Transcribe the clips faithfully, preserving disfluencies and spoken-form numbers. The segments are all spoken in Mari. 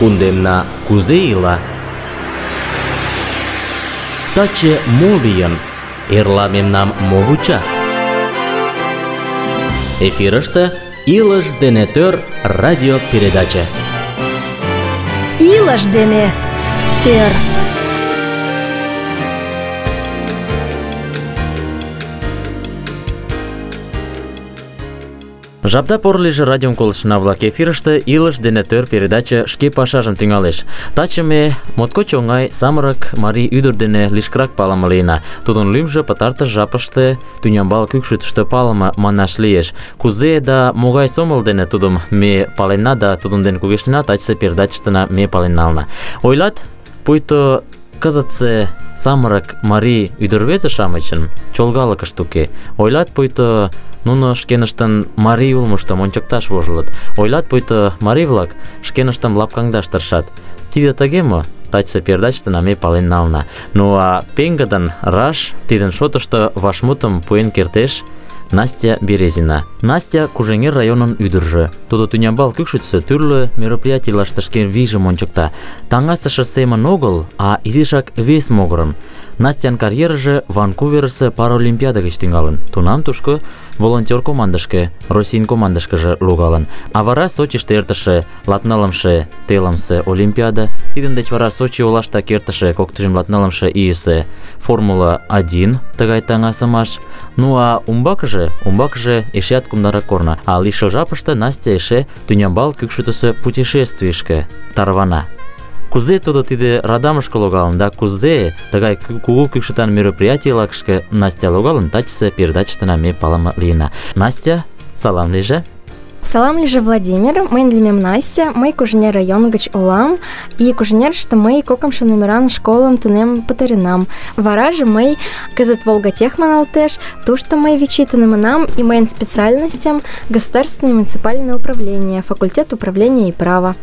кундемна кузе ила? Таче мо лийын? Эрла мемнам мо вуча? Эфирыште «Илыш дене тӧр» радиопередаче. Илыш дене тӧр. Жапда поро лийже радиом колыштына-влак, эфирыште «Илыш дене тӧр» передаче шке пашажым тӱҥалеш. Таче ме моткоч оҥай самырык марий ӱдыр дене лишкырак палыме лийына. Тудын лӱмжӧ пытартыш жапыште тӱнямбал кӱкшытыштӧ палыме манаш лиеш. Кузе да могай сомыл дене тудым ме паленна да тудын дене кугешнена, тачысе передачыштына ме пален нална. Ойлат, пуйто кызытсе самырык марий ӱдыр-рвезе-шамычын чолгалыкышт уке. Ойлат, пуйто нуно шкеныштын марий улмыштым ончыкташ вожылыт. Ойлат, пуйто марий-влак шкеныштым лапкаҥдаш тыршат. Тиде тыге мо? Тачысе передачыштына ме пален нална. Ну а пеҥгыдын раш тидын шотышто вашмутым пуэн кертеш Настя Березина. Настя Кужеҥер районын ӱдыржӧ. Тудо тӱнямбал кӱкшытысӧ тӱрлӧ мероприятийлаште шке вийжым ончыкта. Таҥасыше семын огыл, а изишак вес могырым. Настян карьерыже Ванкуверысе паралимпиада гыч тӱҥалын. Тунам тушко волонтер командышке, Российын командышкыже логалын. А вара Сочиште эртыше латнылымше телымсе олимпиада, тидын деч вара Сочи олаштак эртыше коктыжым латнылымше ийысе Формула один тыгай таҥасымаш. Ну а умбакыже, умбакыже эшеат кумдарак корно. А лишыл жапыште Настя эше тӱнямбал кӱкшытысӧ путешествийышке тарвана. Кузе тудо тиде радамышке логалын да кузе тыгай кугу кӱкшытан мероприятийлашке Настя логалын, тачысе передачыштына ме палыме лийына. Настя, салам лийже. Салам лийже, Владимир. Мыйын лӱмем Настя. Мый Кужеҥер район гыч улам. И Кужеҥерыште мый кокымшо номеран школым тунем пытаренам. Вараже мый кызыт Волгатех маналтеш. Тушто мый вич ий тунемынам, и мыйын специальностям государственное и муниципальное управление, факультет управления и права.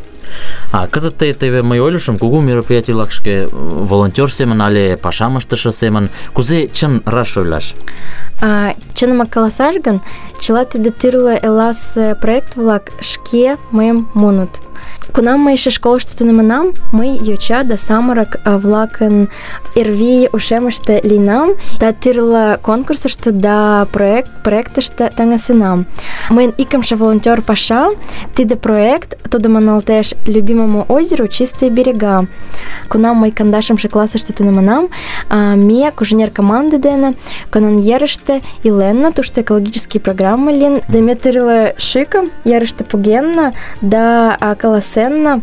А кызыт тый теве мый ойлышым, кугу мероприятийлашке волонтер семын але пашам ыштыше семын. Кузе чын раш ойлаш? А, чынымак каласаш гын, чыла тиде тӱрлӧ эласе проект-влак шке мыйым муыныт. Кунам мый эше школышто тунемынам, мый йоча да самырык-влакын эрвий ушемыште лийынам, да тӱрлӧ конкурсышто да проект проектыште таҥасенам. Мыйын икымше волонтер паша, тиде проект, тудо маналтеш «Любимому озеру чистые берега». Кунам мый кандашымше классыште тунемынам, ме Кужеҥер команде дене Конан-Ерыште иленна, тушто экологический программы лийын, да ме тӱрлӧ шӱкым ерыште погенна, да каласенна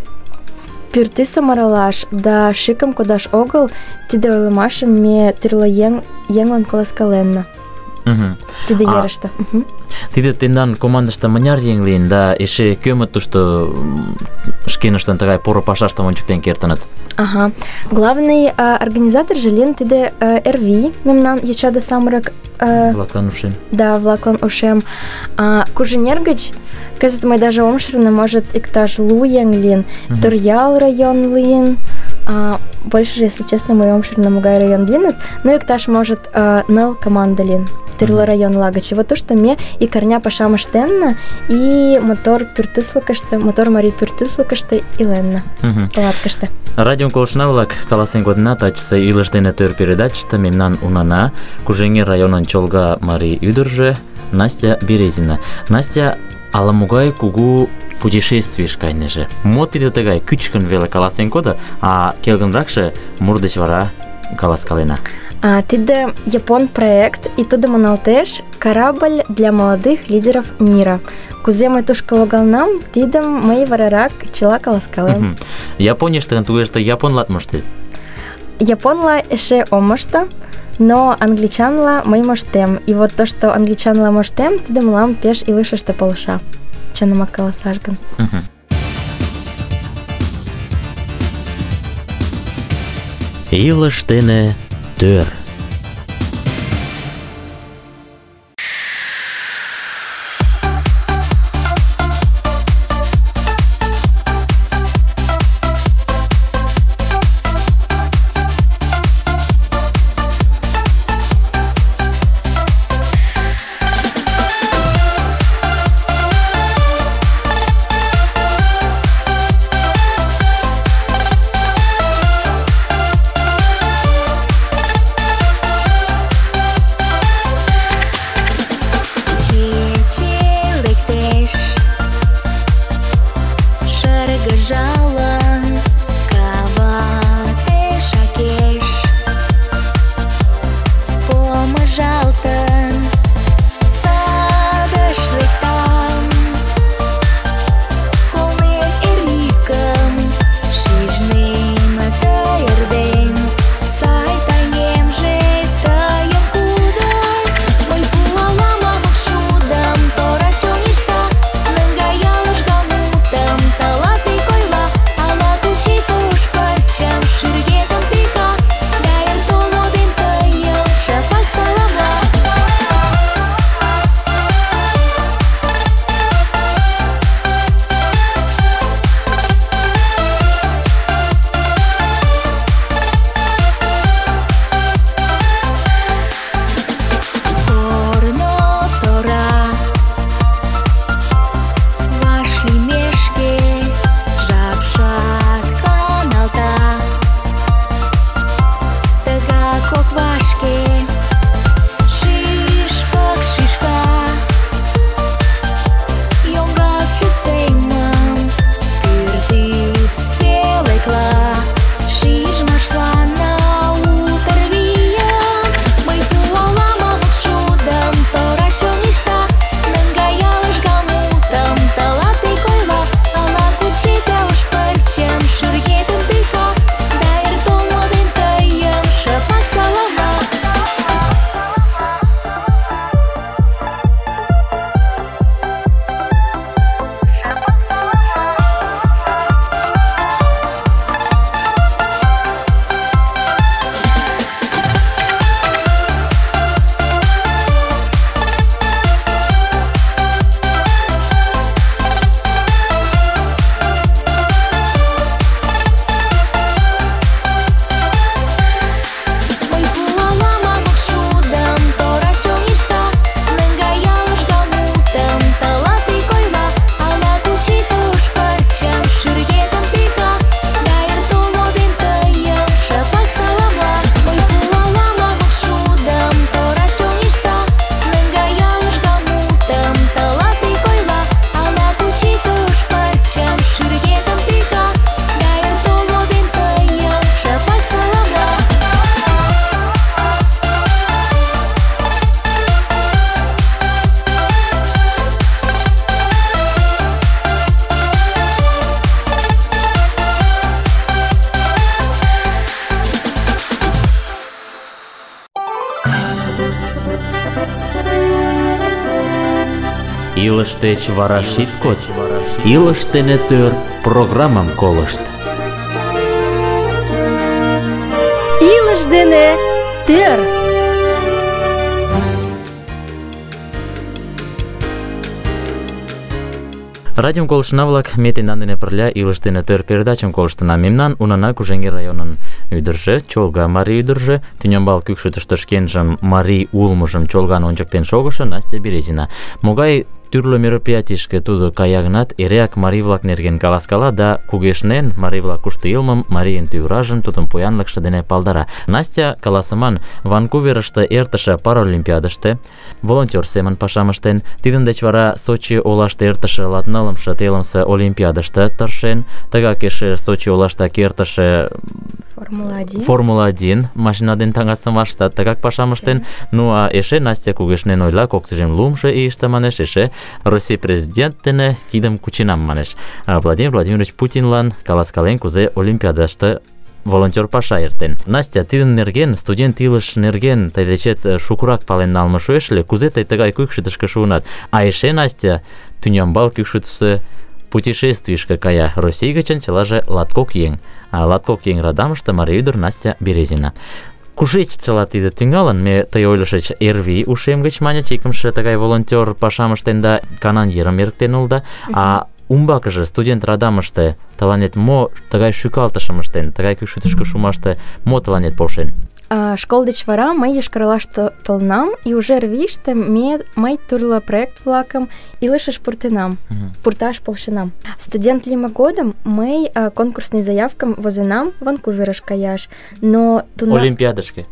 пӱртӱсым аралаш, да шӱкым кодаш огыл, тиде ойлымашым ме тӱрлӧ еҥ, еҥлан каласкаленна. Uh-huh. Тиде ерыште. Uh-huh. Тиде тендан командыште мыняр еҥ лийын, да эше кӧмыт тушто шкеныштын тыгай поро пашаштым ончыктен кертыныт? Ага. Главный а, организаторже лийын тиде а, эрвий, мемнан йоча да самырык а, влаклан ушем. Да, влаклан ушем. А, Кужеҥер гыч кызыт мый даже ом шарне, может, иктаж лу еҥ лийын. Uh-huh. Торъял район лийын. А, больше, если честно, мый ом шарне, могай район лийыныт. Ну, иктаж, может, а, ныл команда лийын. Тӱрлӧ районла гыч. Вот тушто ме икарня пашам ыштенна и мотор пӱртӱслыкыштӧ, мотор марий пӱртӱслыкыштӧ иленна. Палаткыште. Радиом колыштына-влак, каласен кодына, тачысе «Илыш дене тӧр» передачыште мемнан унана Кужеҥер районын чолга марий ӱдыржӧ Настя Березина. Настя ала-могай кугу путешествийыш кайнеже. Мо тиде тыгай? Кӱчыкын веле каласен кодо, а келгынракше мур деч вара каласкалена. А, тиде япон проект, и тудо маналтеш «Корабль для молодых лидеров мира». Кузе мый тушко логалнам, тидым мый варарак чыла каласкалем. Японийыште тугеште японлат моштет? Японла эше ом мошто, но англичанла мый моштем. И вот то, что англичанла моштем, тиде мылам пеш илышыште полша. Чынымак каласаш гын. Илыш дене тӧр. Илыш деч вара шит код, илыш дене төр программам колышт. Илыш дене төр. Радиом колыштына-влак, ме тендан дене пырля илыш дене төр передачым колыштына. Мемнан унана Кужеҥер районын ӱдыржӧ, чолга марий ӱдыржӧ, тӱнямбал кӱкшытыштӧ шкенжым марий улмыжым чолган ончыктен шогышо Настя Березина. Могай тӱрлӧ мероприятийышке тудо кая гынат, эреак марий-влак нерген каласкала да кугешнен марий-влак кушто илымым, марийын тӱвражым, тудын поянлыкше дене палдара. Настя, каласыман, Ванкуверыште эртыше Паралимпиадыште волонтер семын пашам ыштен, тидын деч вара Сочи олаште эртыше латнылымше телымсе Олимпиадыште тыршен, тыгак эше Сочи олаштак эртыше Формула один. Формула один машина ден таҥасымаштат тыгак пашам ыштен. Ну а эше Настя кугешнен ойла, кок тӱжем лумшо ийыште, манеш, эше Россий президент дене кидым кученам, манеш. Владимир Владимирович Путинлан каласкален, кузе Олимпиадыште волонтер паша эртен. Настя, тидын нерген, студент илыш нерген тый дечет шукырак пален налме шуэш ыле, кузе тый тыгай кӱкшытышкӧ шуынат? А эше Настя тӱнямбал кӱкшытысӧ путешествийышке кая. Россий гычын чылаже латкок еҥ. А латкок еҥ радамыште марий ӱдыр Настя Березина. Кушеч чыла тиде тӱҥалын? Ме тый ойлышыч, Эрвий ушем гыч, маньыч, икымше тыгай волонтер пашам ыштен да Канан ерым эрыктен улыда. А умбакыже студент радамыште тыланет мо тыгай шӱкалтышым ыштен, тыгай кӱкшытышкӧ шумаште мо тыланет полшен? Школ деч вара мый Йошкар-Олаште толынам, и уже Эрвийыште ме мый тӱрлӧ проект-влакым илышыш пуртенам, uh-huh. пурташ полшенам. Студент лийме годым мый конкурсный заявкым возенам Ванкуверыш каяш, но тунам... Олимпиадышке?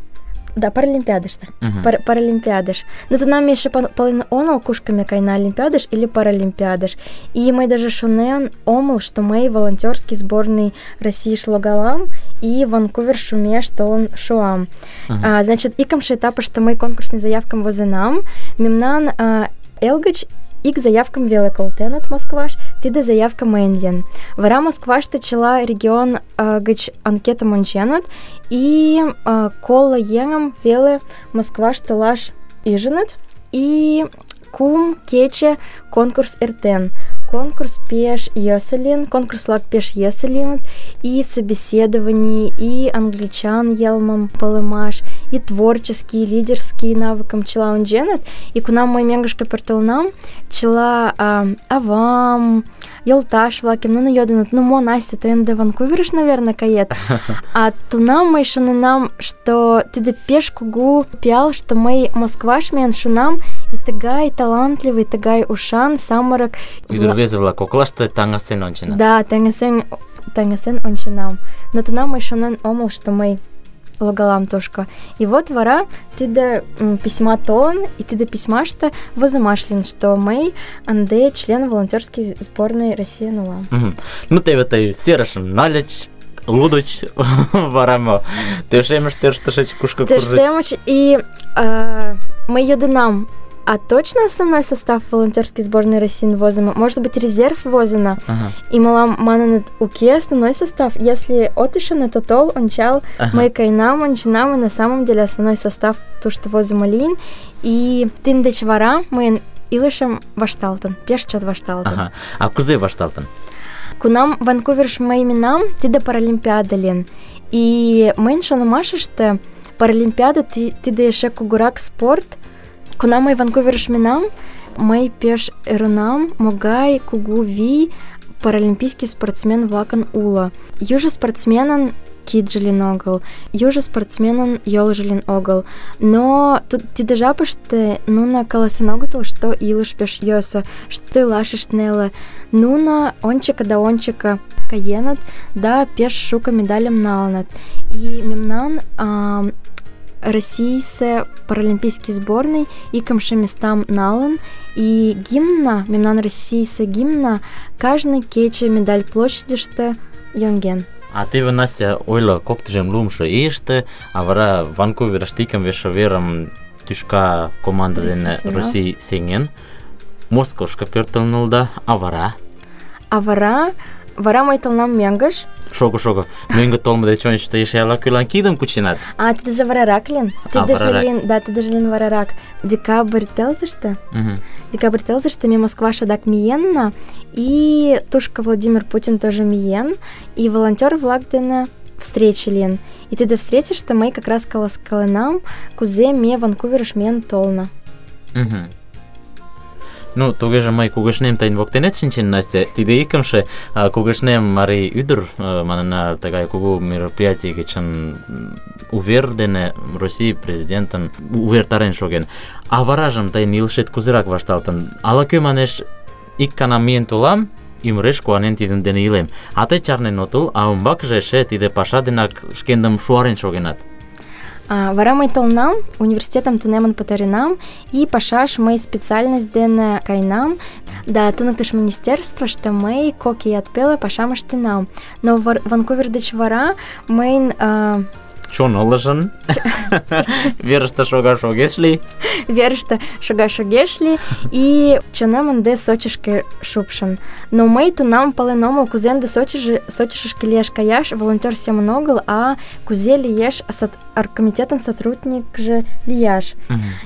Да, Паралимпиадыште. Uh-huh. Пар- Паралимпиадыш. Но тунам ме эше пален онал, кушко ме каена, Олимпиадыш или Паралимпиадыш. И мый даже шонен омыл, что мый волонтерский сборный Российыш логалам, и Ванкувер шумеш толын шуам. Uh-huh. А, значит, икымше этапыште мый конкурсный заявкым возенам, мемнан а, эл гыч ик заявкым веле колтеныт Москваш, тиде заявка мыйын лийын. Вара Москваште чыла регион а, гыч анкетым онченыт, и а, коло еҥым веле Москваш толаш ӱжыныт, и кум кече конкурс эртен. Конкурс пеш йӧсӧ лийын, конкурс-влак пеш йӧсӧ лийыныт, и собеседований, и англичан йылмым палымаш, и творческий, и лидерский навыкым чыла онченыт. И кунам мый мӧҥгышкӧ пӧртылынам, чыла а, авам, йолташ-влакем нуно йодыныт: ну мо, Настя, тый ынде Ванкуверыш, наверное, кает. А тунам мый шоненам, что тиде пеш кугу пиал, что мый Москваш миен шунам, и тыгай талантливый, тыгай ушан самырык Ӱдыр-рвезе-влак коклаште таҥасен ончена. Да, таҥасен, таҥасен онченам. Но тунам мый шонен омыл, что мый логалам тушко. И вот вара тиде письма толын, и тиде письмаште возымаш лин, что мый ынде член волонтерской сборной России улам. Ну, теве тый серышым нальыч, лудыч вара мо. Тӧрштемыш, тӧрштышыч, кушко куржыч. Тӧрштемыч, и э, мый йодынам, а точно основной состав волонтерской сборной России возимо? Может быть, резерв возено? Ага. И мылам маныныт, уке основной состав. Если отышын, то тол, ончал, Ага. мый кайнам, ончинам, и на самом деле основной состав то, что возимо лин. И тин деч вара мыйын илышым вашталтын, пеш чот вашталтын. Ага. А кузе вашталтын? Кунам Ванкуверш мый минам, тиде паралимпиада лин. И мыйын шонымашыште паралимпиада ти- тиде эше кугурак спорт. Кунам мый Ванкуверш минам, мый пеш ӧрынам, могай кугу вий паралимпийский спортсмен-влакын уло. Южо спортсменын кидже лин огыл, южо спортсменын йолжо лин огыл. Но тут тиде жапыште нуно каласен огытыл, что илыш пеш йӧсӧ, что илашышт неле. Нуно ончыко да ончыко каеныт, да пеш шуко медальым налыныт. И мемнан а, Российсе паралимпийский сборный икымше местам налын, и гимна, мемнан Российсе гимна, каждый кече медаль площадьыште йонген. А теве Настя ойло, коктыжым лумшо ийыште, а вара Ванкуверыште икымше верым тӱшка команда дене Россий сеҥен, Москошко пӧртылнылда, а вара? А вара, вара мый толынам мӧҥгыш. Шого, шого. Мӧҥгӧ толмо деч ончычто эше ала-кӧлан кидым кученат. А, тидыже варарак лин. Тидыже лин, да, тидыже лин варарак. Декабрь тылзыште. Мгм. Декабрь тылзыште ме Москваш адак миенна, и тушко Владимир Путин тоже миен, и волонтер-влак дене встрече лин. И тиде встречыште мый как раз каласкаленам, кузе ме Ванкуверыш миен толна. Мгм. Ну, тугеже мый кугешнем тыйын воктенет шинчен, Настя. Тиде икымше а, кугешнем марий ӱдыр а, манына тыгай кугу мероприятий гычын увер дене Россий президентын увертарен шоген. А варажым тыйын илышет кузерак вашталтын? Ала-кӧ манеш, ик гана миен толам, ӱмыреш куанен тидын дене илем. А тый чарнен отыл, а умбакыже эше тиде паша денак шкендым шуарен шогенат. А, вара мый толнам, университетым тунемын пытаренам, и пашаш мый специальность дене кайнам, да туныктыш министерствыште мый кок ият пеле пашам ыштенам. Но вар- Ванкувер деч вара мыйын а, Чон ылыжын, верыште шогаш огеш лий. верыште шогаш огеш лий, и чонем ынде Сочишке шупшын. Но мый тунам пален омыл, кузе ынде Сочиже- Сочишышке лиеш каяш волонтер семын огыл, а кузе лиеш сот- оргкомитетын сотрудникже лияш.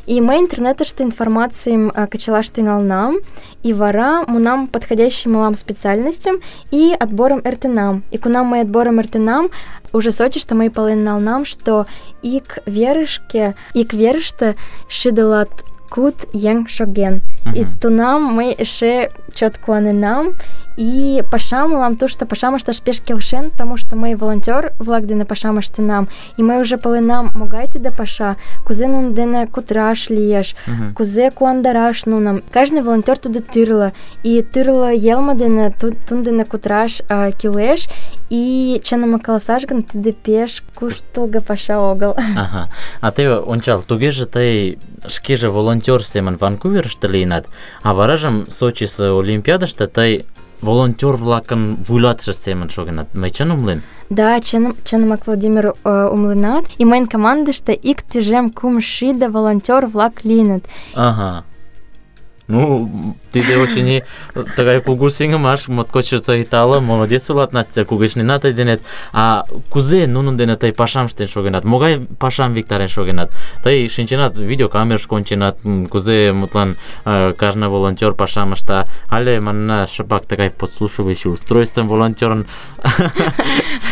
И мый интернетыште информацийым а, кычалаш тӱҥалнам, и вара мунам подходящий мылам специальностям и отборым эртенам. И кунам мый отборым эртенам, уже Сочиште мый пален налнам, что ик верышке, ик верыште шӱдылат куд еҥ шоген. И тунам мый эше чот куаненам, и пашам мылам тушто пашам ышташ пеш келшен, потому что мый волонтер-влак дене пашам ыштенам, и мый уже паленам, могай тиде паша, кузе нунын дене кутыраш лиеш, кузе куандараш нуным. Каждый волонтер тудо тӱрлӧ, и тӱрлӧ йылме дене ту- тудын дене кутыраш а, кӱлеш, и чыным каласаш гын, тиде пеш куштылго паша огыл. Ага. А теве ончал, тугеже тый шкеже волонтер семын Ванкуверыште лийынат, а варажым Сочисе Олимпиадыште тый волонтер-влакын вуйлатыше семын шогенат. Мый чын умылем? Да, чыным, чынымак Владимир э, умленат, и мыйын командыште ик тӱжем кум шӱдӧ волонтер-влак лийыныт. Ага. Ну, тиде очыни тыгай кугу сеҥымаш, моткоч тый тале, молодец улат, Настя, кугешнена тый денет. А кузе нунын дене тый пашам ыштен шогенат? Могай пашам виктарен шогенат? Тый шинченат, видеокамерыш конченат, м, кузе, мутлан, э, кажне волонтер пашам ышта, але манна шыпак тыгай подслушивающий устройствым волонтерын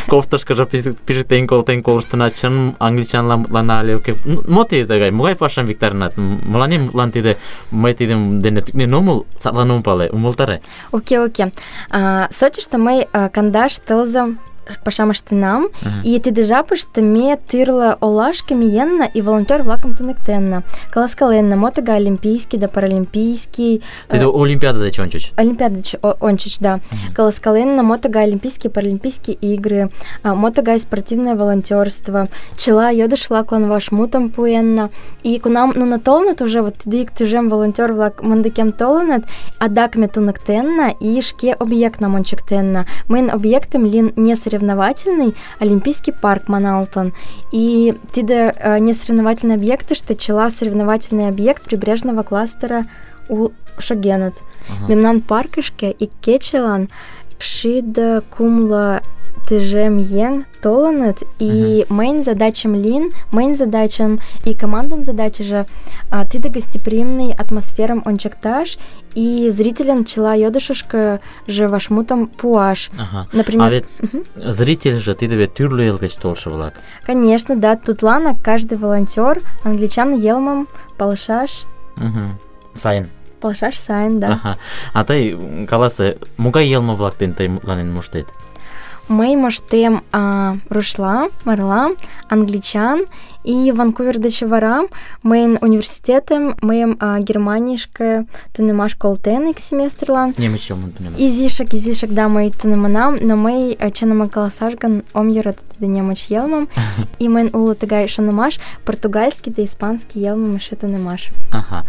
кофтышкыжо пижыктен колтен колыштынат, чын англичанлан але уке. Мо тиде тыгай? Могай пашам виктаренат? Мыланем мутлан тиде мый тидым дене тӱкнен омыл, садлан ом пале, умылтаре. Уке, уке. А, Сочиште мый а, кандаш тылзым пашам ыштенам, uh-huh. и тиде жапыште ме тӱрлӧ олашке миенна и волонтёр-влакым туныктенна, каласкаленна, мо тыгай олимпийский да паралимпийский. Тиде э, Олимпиада деч ончыч. Олимпиада деч ончыч, да. Uh-huh. Каласкаленна, мо тыгай олимпийские, паралимпийские игры, мо тыгай спортивное волонтёрство. Чыла йодыш-влаклан вашмутым пуэнна. И кунам нуно толыныт уже, вот тиде ик тӱжем волонтёр-влак мындыкем толыныт, адак ме туныктенна и шке объектнам ончыктенна. Мыйын объектым лийын несоревновательный олимпийский парк маналтын. И тиде э, несоревновательный объектыште чыла соревновательный объект прибрежного кластера у шогеныт. Ага. Мемнан паркышке ик кечылан шӱдӧ кумло тӱжем еҥ толыныт, и uh-huh. мыйын задачам лийын, мыйын задачам и командан задачаже а, тиде гостеприимный атмосферам ончыкташ и зрителям чыла йодышышкыже вашмутым пуаш. Ага. Например, а вет uh-huh. зритель же тиде вет тӱрлӧ эл гыч толшо-влак. Конечно, да, тудланак каждый волонтёр англичан йылмым палышаш. Uh-huh. Сайын. Палышаш сайын, да. Ага. А тый каласе, могай йылме-влак дене тый мутланен моштет? Мый моштем а, рушла, марла, англичан, и Ванкувер деч вара мыйын университетем, мыйым а, Германийышке тунемаш колтен ик семестрлан. Немыч йылмым тунемаш. Изишак, изишак, да, мый тунемынам, но мый, чынымак каласаш гын, ом йӧрате тиде немыч йылмым, и мыйын уло тыгай шонымаш, португальский да испанский йылмым эше тунемаш. Ага.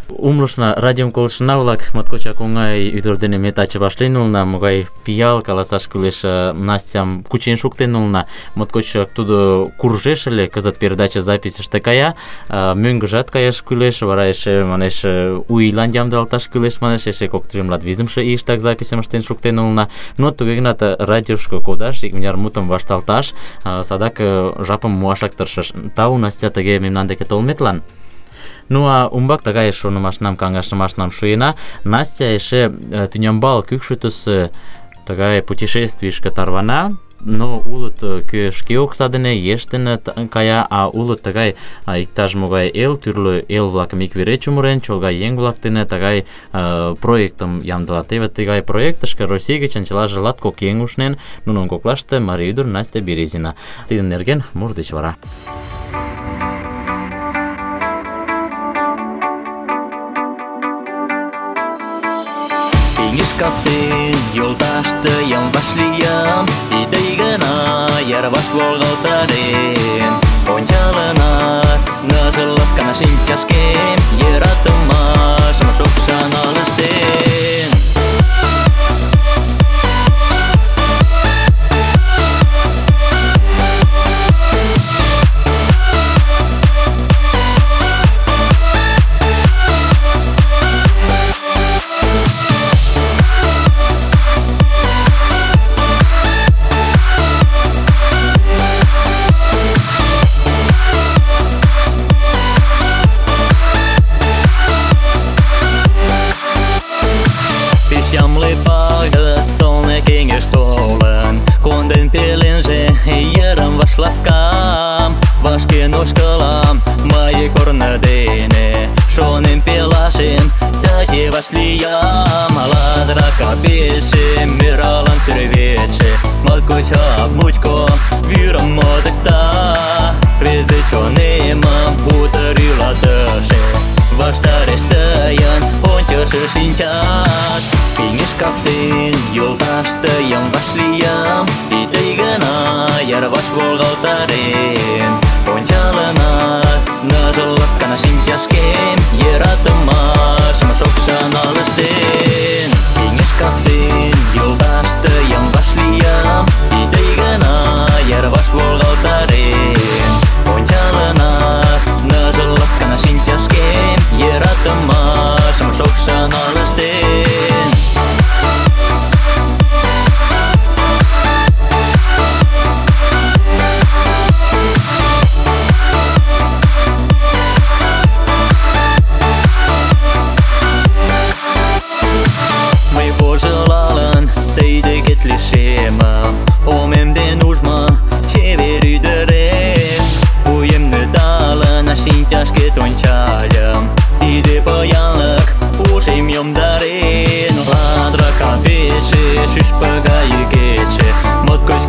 Умылышна, радиом колыштына-влак, моткочак оҥай ӱдыр дене ме таче вашлийын улына, могай пиал, каласаш кӱлеш, Настям кучен шуктен улына, моткочак тудо куржеш ыле, кызыт передача записьыште кая, мӧҥгыжат каяш кӱлеш, вара эше, манеш, У ийлан ямдылалташ кӱлеш, манеш, эше кок тӱжем латвизымше ийыштак записьым ыштен шуктен улына, но туге гынат радиошко кодаш, икмыняр мутым вашталташ, садак жапым муашак тыршыш. Тау, Настя, тыге мемнан деке толметлан. Ну а умбак тыгай шонымашнам, каҥашымашнам шуена. Настя эше тӱнямбал кӱкшытысӧ тыгай путешествийышке тарвана, но улыт кӧ шке окса дене, еш дене кая, а улыт тыгай иктаж-могай эл, тӱрлӧ эл-влакым ик вере чумырен, чолга еҥ-влак дене тыгай э, проектым ямдыла. Теве тыгай проектышке Россий гычын чылаже латкок еҥ ушнен, нунын коклаште марий ӱдыр Настя Березина. Тидын нерген мур деч вара. Кастен йолташтыйым вашлийым, и тый гына йырваш волгалтарен. Ончалынат ныжыл ласкана шинчашкем, йӧратымашым шокшан ылыжтен. Конден пеленже йырым ваш ласкам, вашкен ошкылам мый корно дене, шонем пелашем таче вашлиям. Ладра капельше миралан тӱрветше, моткочак мучко вӱрым модыкта. Презе чонемым утыр йӱлатыше, ваштареш тыйын ончышо шинчат. Кеҥеж кастен йолташ тыйым вашлиям, и тый гына йырваш волгалтарен. Ончалынат ныжыл ласкана шинчашкем, йӧратымашым шокшан ылыжтен. Кеҥеж кастен йолташ тыйым вашлиям, и тый гына йырваш волгалтарен. Ончалынат ныжыл ласкана шинчашкем, йӧратымашым шокшан ылыжтен. Лишемым, омемден ужма чевер ӱдырем. Вуемны талын шинчашкет ончальым, тиде поянлык ушем йомдарен. Ладра капельше, шӱшпык гай йӱкетше, моткоч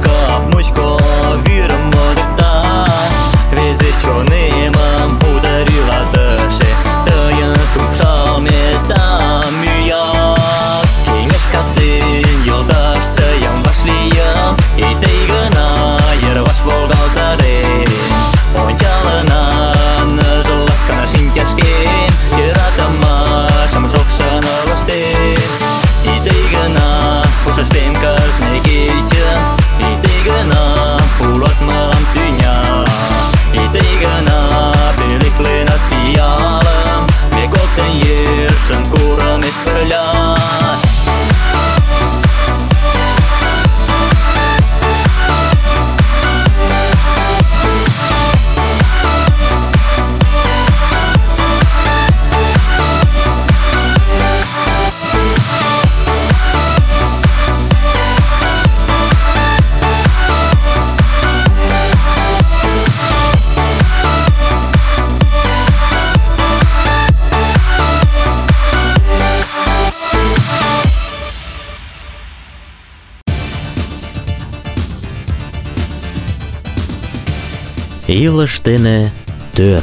Илыш дене тӧр.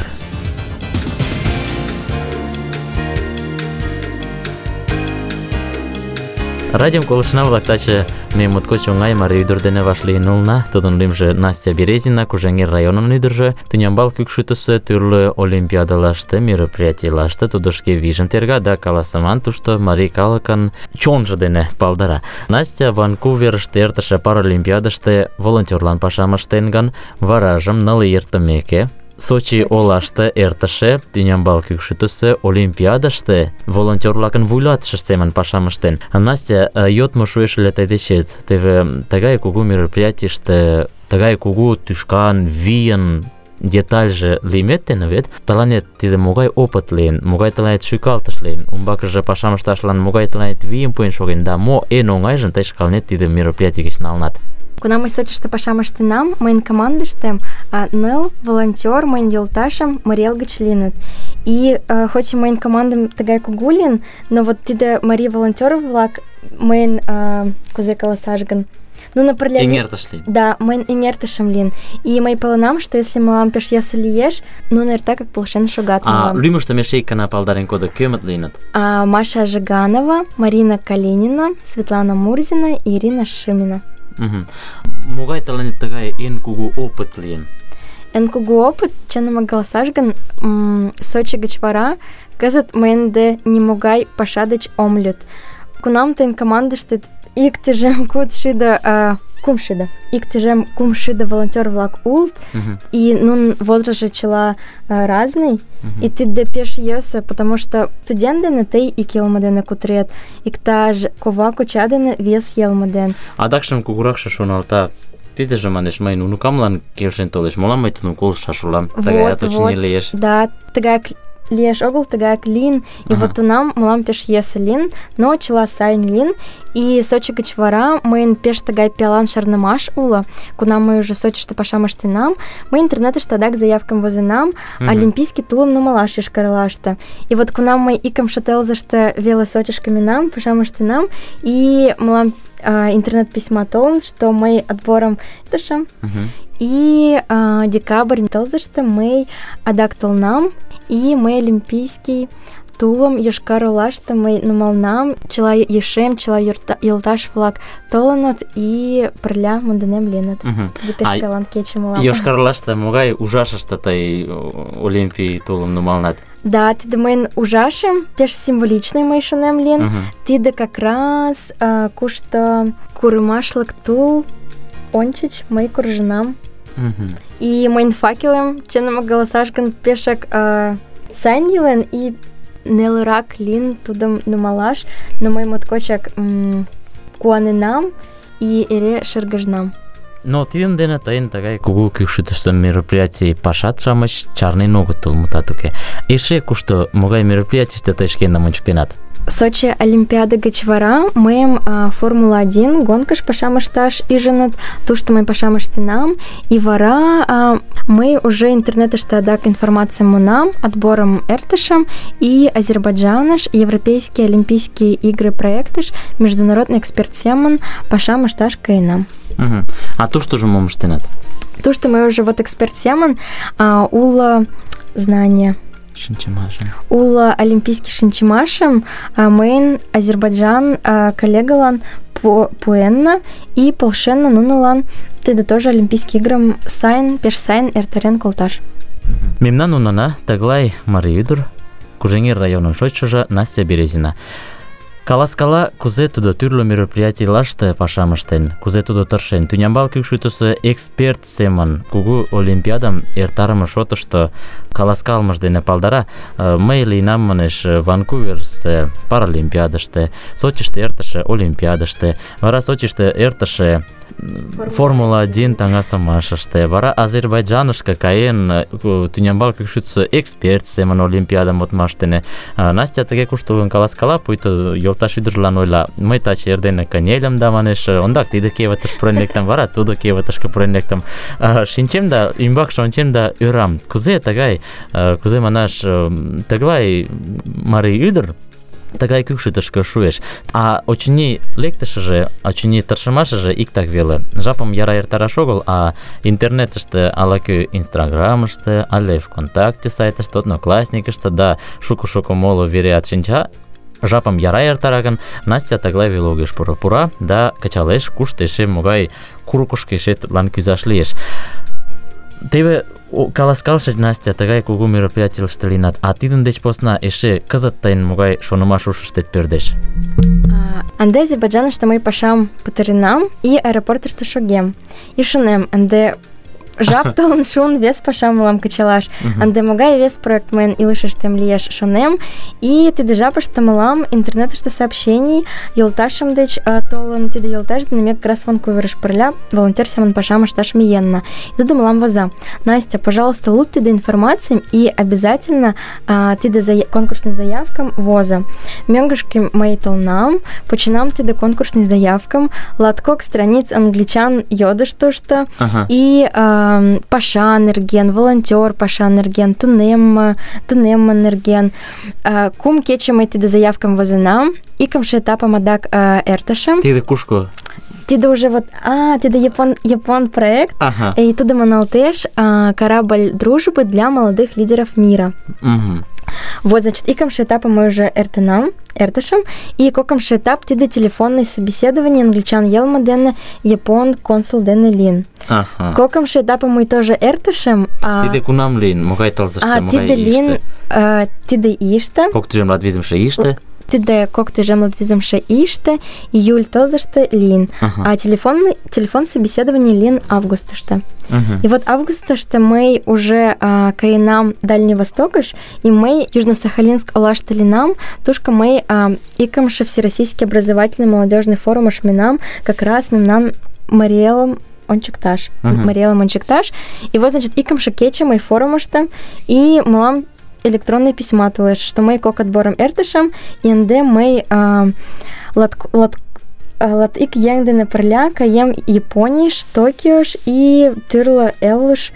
Радиом колышна-влак, таче ме моткоч оҥай марий ӱдыр дене вашлийын улына. Тудын лӱмжӧ Настя Березина, Кужеҥер районын ӱдыржӧ. Тӱнямбал Кӱкшӱтысӧ тӱрлӧ олимпиадылаште, мероприятийлаште тудо шке вийжым терга да каласыман тушто марий калыкын чонжо дене палдара. Настя Ванкуверыште эртыше паралимпиадыште волонтёрлан пашам ыштен гын, варажым ныл ий эртымеке Сочи олаште эртыше Тӱнямбал Кӱкшӱтысӧ олимпиадыште волонтёр-влакын вуйлатышышт семын пашам ыштен. Настя, йодмо шуэш ыле тый дечет. Теве тыгай кугу мероприятийыште, тыгай кугу тӱшкан, вийын детальже лиймет дене вет тыланет тиде могай опыт лийын, могай тыланет шӱкалтыш лийын, умбакыже пашам ышташлан могай тыланет вийым пуэн шоген да мо эн оҥайжым тый шкаланет тиде мероприятий гыч налынат? Кунам мый Сочиште пашам ыштенам, мыйын командыштем ныл волонтёр, мыйын йолташем Марий гыч лийыныт. И э, хоть мыйын командым тыгай кугу лийын, но вот тиде марий волонтёр-влак мыйын э, кузе каласаш гын, нуно пырля... Эҥертыш лийын. Да, мыйын эҥертышым лийын. И мый паленам, что если мылам пеш йӧсӧ лиеш, нуно эртак полшен шогат мылам. А лӱмыштым эше ик гана палдарен кодо, кӧмыт лийыныт? А, Маша Жиганова, Марина Калинина, Светлана Мурзина и Ирина Шимина. Угу. Могай тыланет тыгай эн кугу опыт лийын? Эн кугу опыт, чыным каласаш гын, Сочи гыч вара кызыт мыйын ынде нимогай паша деч ом лӱд. Кунам тыйын командыштет ик тӱжем куд шӱдӧ, кум шӱдӧ, ик тӱжем кум шӱдӧ волонтёр-влак улыт, uh-huh. и нунын возрастшо чыла uh, разный, uh-huh. и тиде пеш йӧсӧ, потому что студент дене тый ик йылме дене кутырет, иктаж кова коча дене вес йылме дене. Адакшым кугуракше шоналта, тидыже, манеш, мыйын унукамлан келшен толеш, молан мый тудым колышташ улам? Тыгаят очыни лиеш. Да, тыгаяк лиеш огыл, тыгаяк лийын, и вот тунам мылам пеш йӧсӧ лийын, но чыла сайын лийын. И Сочи гыч вара мыйын пеш тыгай пиалан шарнымаш уло. Кунам мый уже Сочиште пашам ыштенам, мый интернетыште адак заявкым возенам олимпийский тулым нумалаш Йошкар-Олаште. И вот кунам мый икымше тылзыште веле Сочишке миенам, пашам ыштенам, и мылам Uh, интернет-письма толын, что мый отборым тышым. Uh-huh. И uh, декабрь тылзыште мый адак толнам, и мый олимпийский тулым Йошкар-Олаште мый нумалнам, чыла ешем, чыла йолташ-влак толыныт, и пырля монденем лийыныт. Тиде пеш пиалан кече мылам. Йошкар-Олаште могай ужашыште тый олимпий тулым нумалнат? Да, тиде мыйын ужашем, пеш символичный мый шонем лийын. Uh-huh. Тиде как раз uh, кушто курымашлык тул ончыч мый куржынам. Uh-huh. И мыйын факелем, чыным каласаш гын, пешак uh, сайын илен, и нелырак лийын тудым нумалаш, но мый моткочак м- куаненам и эре шыргыжнам. Но тидын дене тыйын тыгай кугу Кӱкшӱтысӧ мероприятий пашат-шамыч чарнен огытыл, мутат уке. Эше кушто могай мероприятийыште тый шкендым ончыктенат? Сочи Олимпиада гыч вара мыйым а, Формула один гонкыш пашам ышташ ӱжыныт, тушто мый пашам ыштенам, и вара а, мый уже интернетыште адак информацийым муынам, отборым эртышым, и Азербайджаныш Европейские Олимпийские игры проектыш международный эксперт семын пашам ышташ каенам. Uh-huh. А туштыжо мом ыштенат? Тушто мый уже вот эксперт семын а, уло знание. Шинчымашым. Уло олимпийский шинчымашым а, мыйын Азербайджан а, коллегалан пуэнна, и полшенна нунылан тиде тоже олимпийский игрым сайын, пеш сайын эртарен колташ. Uh-huh. Мемнан унана тыглай марий ӱдыр, Кужеҥер районын шочшыжо Настя Березина. Каласкала, кузе тудо тӱрлӧ мероприятийлаште пашам ыштен, кузе тудо тыршен. Тӱнямбал Кӱкшӱтысӧ эксперт семын кугу олимпиадым эртарыме шотышто каласкалымыж дене палдара. Мый лийынам, манеш, Ванкуверысе паралимпиадыште, Сочиште эртыше олимпиадыште, вара Сочиште эртыше Формула один таҥасымашыште, вара Азербайджанышке каен, Тӱнямбал Кӱкшӱтысӧ эксперт семын олимпиадым модмаш дене. Настя тыге куштылгын каласкала, пуйто йолташ ӱдыржылан ойла: мый таче эрдене кынельым да, манеш, ондак тиде кевытыш пурен лектым, вара тудо кевытышке пурен лектым. Шинчем да, ӱмбакше ончем да ӧрам, кузе тыгай, кузе манаш, тыглай марий ӱдыр тыгай кӱкшытышкӧ шуэш. А очыни лектышыже, очыни тыршымашыже иктак веле. Жапым яра эртараш огыл, а интернетыште ала-кӧ Инстаграмыште, але ВКонтакте сайтыште, Одноклассникыште да шуко-шуко моло вереат шинча. Жапым яра эртара гын, Настя тыглай веле огеш пуро. Пура да кычалеш, кушто эше могай курыкышко эше тудлан кӱзаш лиеш. Теве каласкалышыч, Настя, тыгай кугу мероприятийыште лийынат, а тидын деч посна эше кызыт тыйын могай шонымаш ушыштет пӧрдеш? Ынде Азербайджаныште мый пашам пытаренам и аэропортышто шогем. И шонем, ынде жап толын шуын вес пашам мылам кычалаш. Ынде могай вес проект мыйын илышыштем лиеш, шонем. И тиде жапыште мылам интернетыште сообщений йолташем деч толын, тиде йолташ дене ме как раз Ванкуверыш пырля волонтер семын пашам ышташ миенна. И тудо мылам воза: Настя, пожалуйста, луд тиде информацийым и обязательно а, тиде зая... конкурсный заявкам воза. Мӧҥгышкӧ мый толынам, починам тиде конкурсный заявкам, латкок страниц англичан йодыш тушто, Ага. и а, паша нерген, волонтер паша нерген, тунем, тунем нерген. А, кум кече мый тиде заявкам возенам, икымше этапым адак а, эртышым. Тиде кушко? Тиде уже вот, а, тиде япон, япон проект, Ага. и туда маналтеш а, корабль дружбы для молодых лидеров мира. Угу. Вот, значит, икымше этапы мы уже эртынам, эртышым, и кокымше этап тиде телефонное собеседование англичан елма дене япон консул дене лин. Ага. Кокымше этапы мы тоже эртышым. А, Тиде кунам лин, могай тылзыште, а могай тиде лин, иште? а, тиде иште. Кок тӱжем латвизымше иште? Тиде кок тӱжем латвизымше иште, июль тылзыште лин. Ага. А телефонный, телефон собеседование лин августыште. Угу. И вот августыште мы уже а, каенам Дальний Востокыш, и мы Южно-Сахалинск олашты линам, тушка мы а, икымше Всероссийский образовательный молодежный форум ашминам, как раз мемнан Мариэлом ончыкташ. Мгм. Мариэлом ончыкташ. И вот, значит, икымше кече мы форумышты, и мылам электронные письма тылеш, что мы кок отбором эртышем, и ынде мы а, лат, лат, лат ик еҥ дене пырля каем Японийыш, Токиош и тӱрлӧ элыш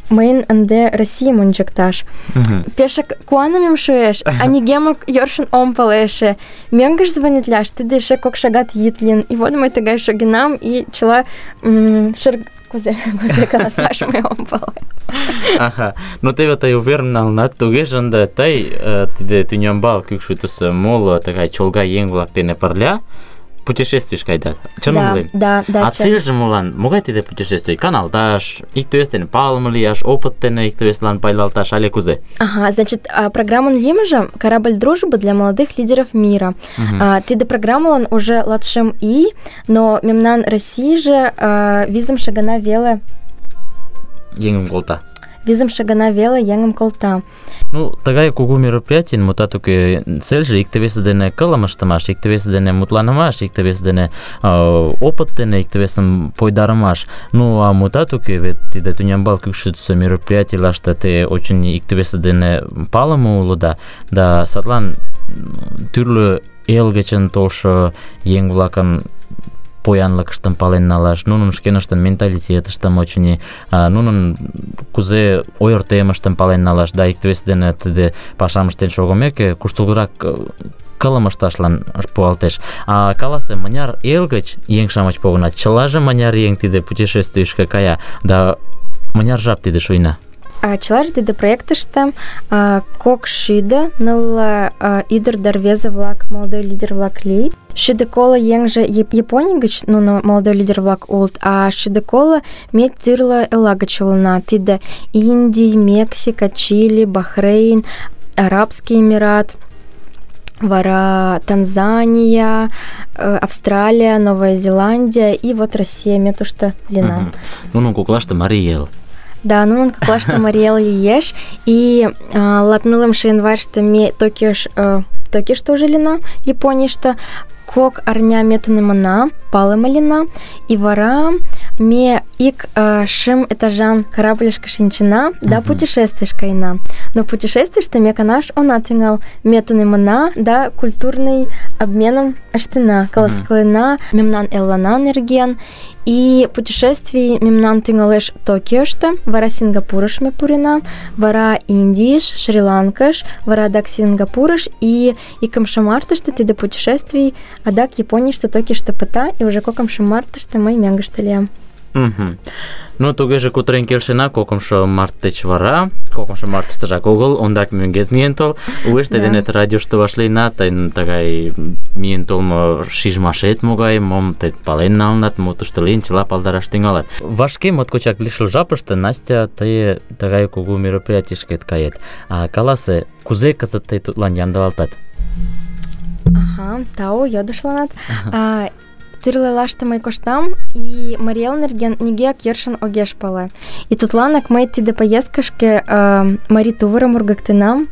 мыйын ынде Российым ончыкташ. Угу. Пешак куанымем шуэш, а нигемак йӧршын ом пале эше. Мӧҥгыш звонитляш, тиде эше кок шагат йӱд лийын. И вот мый тыгай шогенам, и чыла м, шер... Кузе, кузе каласаш мый ом пале. Ага. Ну теве тый уверен налынат, тугеже ынде тый э, тиде тӱнямбал кӱкшытысӧ моло тыгай чолга еҥ-влак дене пырля путешествийыш кайдат. Чыным Да, ойлем? да, да, А чын. цельже молан? Могай тиде путешествий? Каналташ, икте-вес дене палыме лияш, опыт дене икте-весылан пайлалташ, але кузе? Ага, значит, а, программан лимыжа «Корабль дружбы для молодых лидеров мира». Мгм. А, тиде программалан уже латшым и, но мемнан России же а, визым шагана веле, Еҥым колта. визым шагана веле еҥым колта. Ну, тыгай кугу мероприятий, мутат уке, цельже икте-весе дене кылым ыштымаш, икте-весе дене мутланымаш, икте-весе дене э, опыт дене икте-весым пойдарымаш. Ну, а мутат уке, вет тиде тӱнямбал кӱкшытысӧ мероприятийлаште те очень икте-весе дене палыме улыда, да садлан тӱрлӧ эл гычын толшо еҥ-влакын поянлыкыштым пален налаш, нунын шкеныштын менталитетыштым, очыни, а, нунын кузе ойыртемыштым пален налаш, да икте-весе дене тиде пашам ыштен шогымеке, куштылгырак э, кылым ышташлан пуалтеш. А каласе, мыняр эл гыч еҥ-шамыч погынат, чылаже мыняр еҥ тиде путешествийышке кая, да мыняр жап тиде шуйна? А, чылаже тиде проектыште а, кок шӱдӧ нылле а, ӱдыр да рвезе-влак, молодой лидер-влак лийыт. Шӱдӧ коло еҥже Яп- Японий гыч нуно молодой лидер-влак улыт, а шӱдӧ коло ме тӱрлӧ элла гыч улына. Тиде Индий, Мексика, Чили, Бахрейн, Арабский Эмират, вара Танзания, э, Австралия, Новая Зеландия и вот Россия, ме тушто лина. Мгм. Нунын коклаште марий эл. Да, нунын коклаште Мариэл лиеш, и а, латнылымше январьыште ме Токиош, э, Токиошто уже лина, Японийыште, кок арня ме тунемына, палыме лийна, и вара ме ик э, шым этажан корабльышке шинчена да Мгм. путешествийыш каена. Но путешествийыште ме канаш она тӱҥал. Ме тунемына да культурный обменым ыштена, каласкалена мемнан эллана нерген. И путешествий мемнан тӱҥалеш Токиошто, вара Сингапурыш ме пурена, вара Индийыш, Шри-Ланкыш, вара адак Сингапурыш, и икымше мартыште тиде путешествий адак Японийыште, Токиошто пыта, и уже кокымшо мартыште мый мӧҥгыштӧ лиям. Мгм. Ну, тугеже кутырен келшена, кокымшо март деч вара, кокымшо мартыштыжак огыл, ондак мӧҥгет миен тол, уэш тый Да. денет радиошто вашлийына, тыйын тыгай миен толмо шижмашет могай, мом тый пален налынат, мо тушто лийын, чыла палдараш тӱҥалат. Вашке моткочак лишыл жапыште Настя тый тыгай кугу мероприятийышкет кает. А каласе, кузе кызыт тый тудлан ямдылалтат? Ага, тау, йодышланат. А, тӱрлӧ лаште мый коштам, и Марий Эл нерген нигӧак йӧршын огеш пале. И тудланак мый тиде поездкышке э, марий тувырым ургыктенам,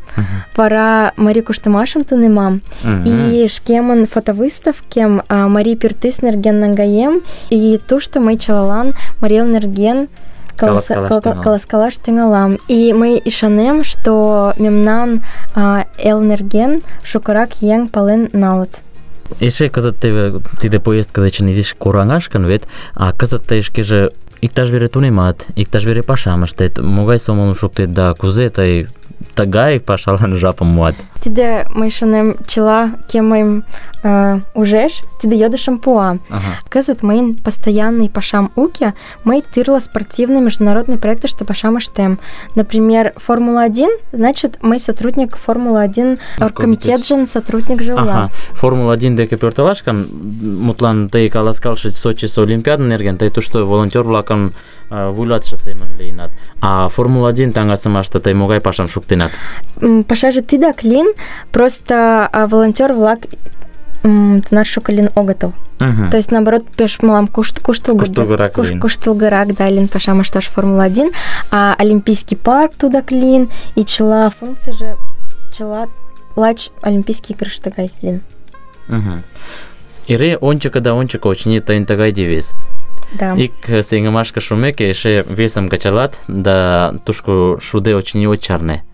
вара марий куштымашым тунемам, и шкемын фотовыставкем э, марий пӱртӱс нерген наҥгаем, и тушто мый чылалан Марий Эл нерген каласа- Каласкалаш кал- тӱҥалам. каласкалаш тӱҥалам. И мый ӱшанем, что мемнан э, эл нерген шукырак еҥ пален налыт. Эше кызыт теве тиде поездка дечын изиш кораҥаш гын вет, а кызыт тый шкеже иктаж вере тунемат, иктаж вере пашам ыштет, могай сомылым шуктет да кузе тый тыгай пашалан жапым муат? Тиде мый шонем, чыла, кӧ мыйым э, ужеш, тиде йодышым пуа. Ага. Кызыт мыйын постоянный пашам уке, мый тӱрлӧ спортивный международный проектыште пашам ыштем. Например, Формула один, значит, мый сотрудник Формула один оргкомитетжын сотрудникже улам. Ага, Формула один деке пӧртылаш гын, мутлан тый каласкалше Сочисо Олимпиада нерген, тый тушто волонтёр-влакын э, вуйлатыше семын лийынат. А Формула один таҥасымаште тый могай пашам шуктенат? М, Пашаже тидак лийын, просто а, волонтёр-влак м, тынар шуко лийын огытыл. Мгм. То есть, наоборот, пеш мылам кушт, куштылго, Куштылгырак куш- лийын. куштылгырак, да, лийын пашам ышташ Формула один, а Олимпийский парк тудак лийын, и чыла функцийже, чыла лач Олимпийский игрыште гай лийын. Мгм. Эре ончыко да ончыко, очыни, тыйын тыгай девиз. Да. Ик сеҥымашке шумеке эше весым кычалат, да тушко шуде очыни от чарне.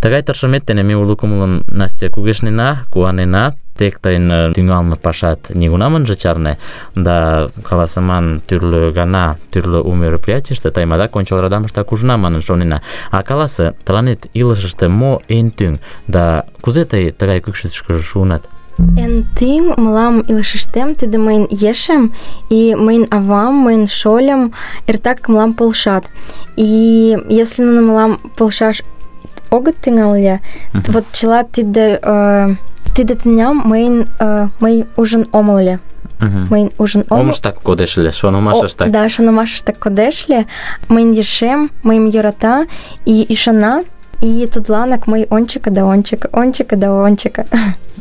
Тыгай тыршымет дене ме уло кумылын Настя кугешнена, куанена, тек тыйын э, тӱҥалме пашат нигунам ынже чарне, да каласыман тӱрлӧ гана, тӱрлӧ у мероприятийыште тыйым адак ончыл радамыштак ужына манын шонена. А каласе, тыланет илышыште мо эн тӱҥ, да кузе тый тыгай кӱкшытышкыжӧ шуынат? Эн тӱҥ мылам илышыштем тиде мыйын ешем и мыйын авам, мыйын шольым эртак мылам полшат. И если нуно мылам полшаш огыт тӱҥал ыле, Мгм. вот чыла тиде э, тиде тӱням мыйын э, мый ужын омыл ыле. Мгм. Мыйын ужын омыл. Омыштак кодеш ыле, О, шонымашыштак. да, шонымашыштак кодеш ыле. Мыйын ешем мыйым йӧрата и ӱшана, и тудланак мый ончыко да ончыко, ончыко да ончыко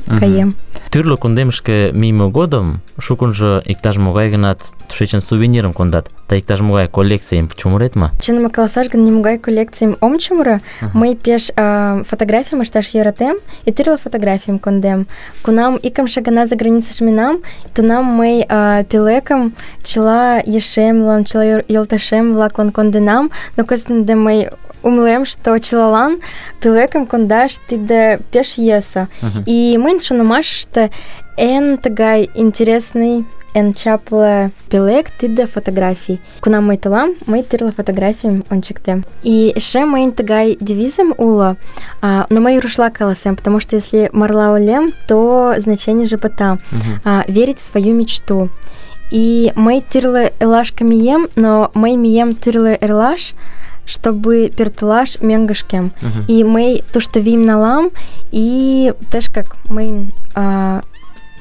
Мгм. каем. Тӱрлӧ кундемышке мийыме годым шукынжо иктаж-могай гынат тушечын сувенирым кондат. Тый иктаж-могай коллекцийым чумырет ма? Чыным каласаш гын, нимогай коллекцийым ом чумыро. Ага. Мый пеш э, фотографийым ышташ йӧратем, и тӱрлӧ фотографийым кондем. Кунам икымше гана за границыш минам, тунам мый э, пӧлекым чыла ешемлан, чыла йор- йолташем-влаклан конденам, но кызыт ынде мый умылем, что чылалан пӧлекым кондаш тиде пеш йӧсӧ. Мгм. И мыйын шонымашыште эн тыгай интересный, эн чапле пӧлек тиде фотографий. Кунам мый толам, мый тӱрлӧ фотографийым ончыктем. И эше мыйын тыгай девизым уло, а, но мый рушла каласем, потому что если марла ойлем, то значенийже пыта. Мгм. А, верить в свою мечту. И мый тӱрлӧ элашке мием, но мый мием тӱрлӧ эрлаш, чтобы пӧртылаш мӧҥгышкем. Мгм. И мый тушто вийым налам, и тышкак мыйын а,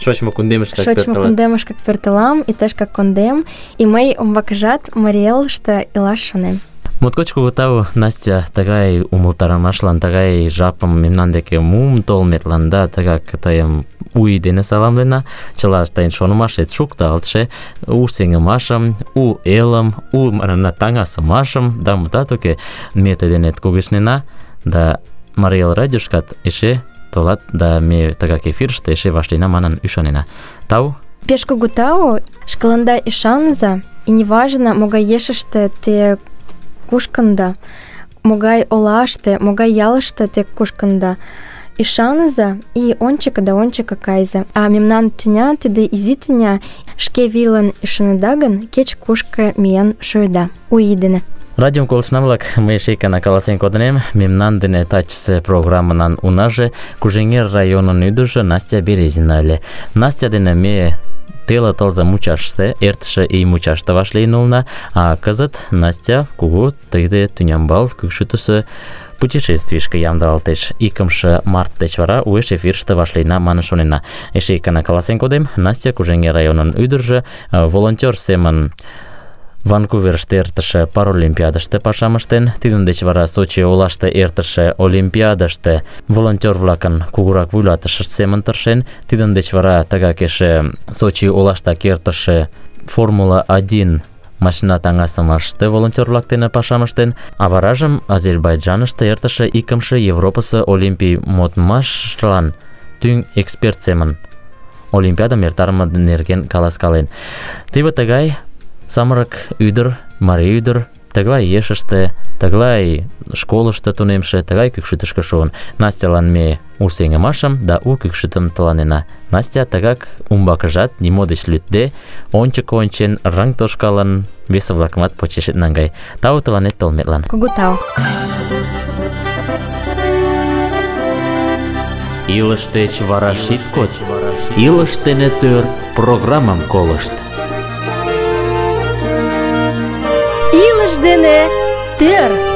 Шочмо кундемышкак шочмо пӧртылат. кундемышкак пӧртылам, и тышкак кондем, и мый умбакыжат Марий Элыште илаш шонем. Моткоч кугу тау, Настя, тыгай умылтарымашлан, тыгай жапым мемнан деке муым толметлан, да, тыгак тыйым у ий дене саламлена, чыла тыйын шонымашет шукталтше, у сеҥымашым, у элым, у манына таҥасымашым, да мутат уке, ме тый денет кугешнена, да Марий Эл радиошкат эше толат, да ме тыгак эфирыште эше вашлийына манын ӱшанена. Тау, Пеш кугу тау, шкаланда ӱшаныза, и неважно, могай ешыште те кушкында, могай олаште, могай ялыште те кушкында. Ӱшаныза и ончыко да ончыко кайза. А мемнан тӱня, тиде изи тӱня, шке вийлан ӱшаныда гын, кеч-кушко миен шуыда. У ий дене. Радиом колышна-влак, мый эше ик гана каласен кодынем, мемнан дене тачысе программынан унаже Кужеҥер районын ӱдыржӧ Настя Березина ыле. Настя дене ме теле тылзе мучаште, эртыше ий мучаште вашлийын улына, а кызыт Настя кугу тыйде тӱнямбал кӱкшытысӧ путешествийышке ямдылалтеш. Икымше март деч вара уэш эфирыште вашлийна манын шонена. Эше ик гана каласен кодем, Настя Кужеҥер районын ӱдыржӧ волонтер семын Ванкуверыште эртыше паралимпиадыште пашам ыштен, тидын деч вара Сочи олаште эртыше олимпиадыште волонтер-влакын кугурак вуйлатышышт семын тыршен, тидын деч вара тыгак эше Сочи олаштак эртыше Формула один машина таҥасымаште волонтер-влак дене пашам ыштен, а варажым Азербайджаныште эртыше икымше Европысе олимпий модмашлан тӱҥ эксперт семын олимпиадым эртарыме нерген каласкален. Теве тыгай самырык ӱдыр, марий ӱдыр, тыглай ешыште, тыглай школышто тунемше, тыгай кӱкшытышкӧ шуын. Настялан ме у сеҥымашым да у кӱкшытым тыланена. Настя тыгак умбакыжат нимо деч лӱдде, ончыко ончен, рыҥ тошкалын, весе-влакымат почешет наҥгай. Тау тыланет толметлан. Кугу тау. Илыш деч вара шит код, илыш дене тӧр программам колышт. Илыш дене тӧр!